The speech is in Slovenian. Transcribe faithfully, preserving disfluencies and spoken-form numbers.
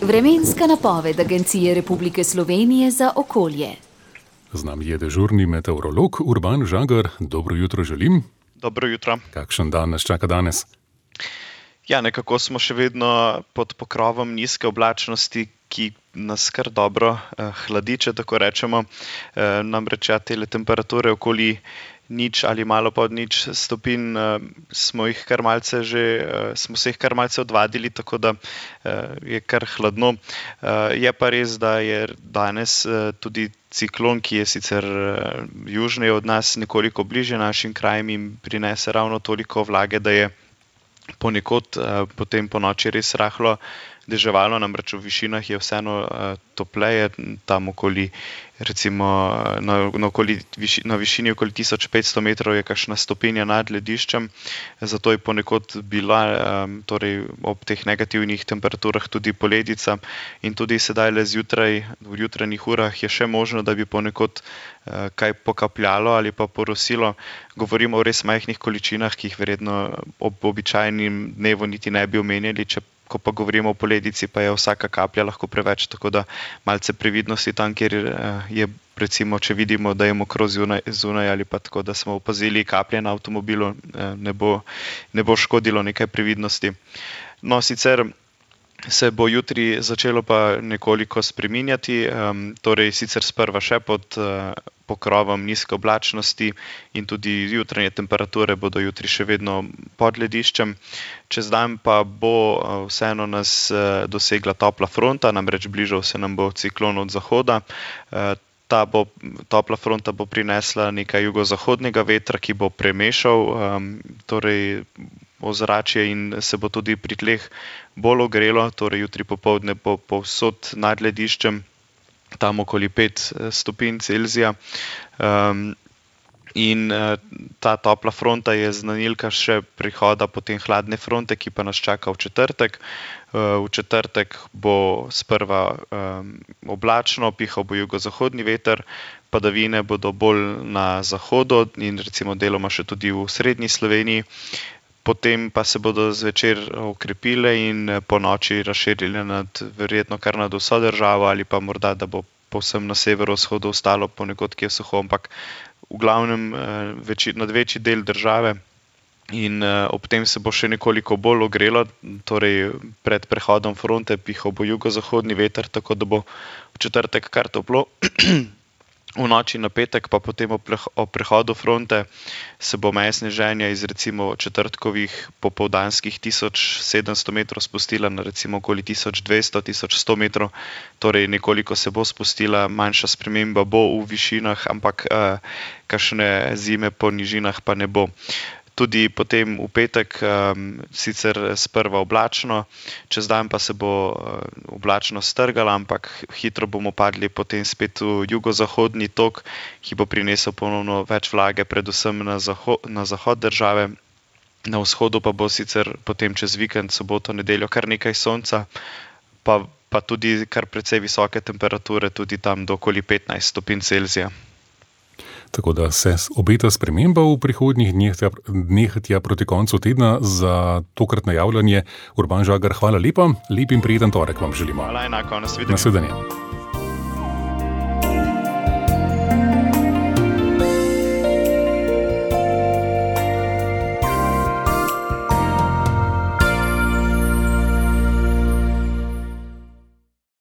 Vremenska napoved Agencije Republike Slovenije za okolje. Z nami je dežurni meteorolog Urban Žagar. Dobro jutro želim. Dobro jutro. Kakšen dan nas čaka danes? Ja, nekako smo še vedno pod pokrovom nizke oblačnosti, ki nas kar dobro eh, hladi, če tako rečemo. Eh, namreč ja, tele temperature okoli nič ali malo pod nič stopinj eh, smo jih kar malce že, eh, smo se jih kar malce odvadili, tako da eh, je kar hladno. Eh, je pa res, da je danes eh, tudi ciklon, ki je sicer eh, južneje od nas, nekoliko bliže našim krajem in prinese ravno toliko vlage, da je ponekod eh, potem po noči res rahlo deževalo, namreč v višinah je vseeno uh, topleje, tam okoli, recimo na, na, okoli, viši, na višini okoli tisoč petsto metrov je kakšna stopinja nad lediščem, zato je ponekod bila um, torej ob teh negativnih temperaturah tudi poledica in tudi sedaj le zjutraj, v jutranjih urah je še možno, da bi ponekod uh, kaj pokapljalo ali pa porosilo. Govorimo o res majhnih količinah, ki jih verjetno ob običajnem dnevu niti ne bi omenjali, če ko pa govorimo o poledici, pa je vsaka kaplja lahko preveč, tako da malce previdnosti tam, kjer je, recimo, če vidimo, da je mokro zunaj, zunaj ali pa tako, da smo opazili kaplje na avtomobilu, ne bo, ne bo škodilo nekaj previdnosti. No, sicer se bo jutri začelo pa nekoliko spreminjati, um, torej sicer sprva še pod uh, pokrovom nizke oblačnosti in tudi jutranje temperature bodo jutri še vedno pod lediščem. Čez dan pa bo uh, vseeno nas uh, dosegla topla fronta, namreč bližal se nam bo ciklon od zahoda. Uh, ta bo, topla fronta bo prinesla nekaj jugozahodnega vetra, ki bo premešal um, torej ozračje in se bo tudi pri tleh bolj ogrelo, torej jutri popoldne bo povsod nad lediščem, tam okoli pet stopinj Celzija. Um, in uh, ta topla fronta je znanilka še prihoda potem hladne fronte, ki pa nas čaka v četrtek. Uh, v četrtek bo sprva um, oblačno, pihal bo jugozahodni veter, padavine bodo bolj na zahodu in recimo deloma še tudi v srednji Sloveniji. Potem pa se bodo zvečer okrepile in po noči razširile nad, verjetno kar nad vso državo ali pa morda, da bo povsem na severovzhodu ostalo ponekod, ki je suho, ampak v glavnem večji, nad večji del države. In ob tem se bo še nekoliko bolj ogrelo, torej pred prehodom fronte pihal bo jugozahodni veter, tako da bo v četrtek kar toplo. V noči na petek pa potem ob prehodu fronte se bo meja sneženja iz recimo četrtkovih popoldanskih tisoč sedemsto metrov spustila na recimo okoli tisoč dvesto do tisoč sto metrov, torej nekoliko se bo spustila, manjša sprememba bo v višinah, ampak uh, kakšne zime po nižinah pa ne bo. Tudi potem v petek um, sicer sprva oblačno, čez dan pa se bo uh, oblačno strgala, ampak hitro bomo padli potem spet v jugozahodni tok, ki bo prinesel ponovno več vlage, predvsem na, zaho- na zahod države. Na vzhodu pa bo sicer potem čez vikend, soboto, nedeljo kar nekaj sonca, pa, pa tudi kar precej visoke temperature, tudi tam do okoli petnajst stopinj Celzija. Tako da se obeta sprememba v prihodnjih dneh, tja, dneh tja proti koncu tedna. Za tokrat najavljanje Urban Žagar, hvala lepa, lep in prijeten torek vam želimo. Hvala enako, nasvidenje. Nasvidenje.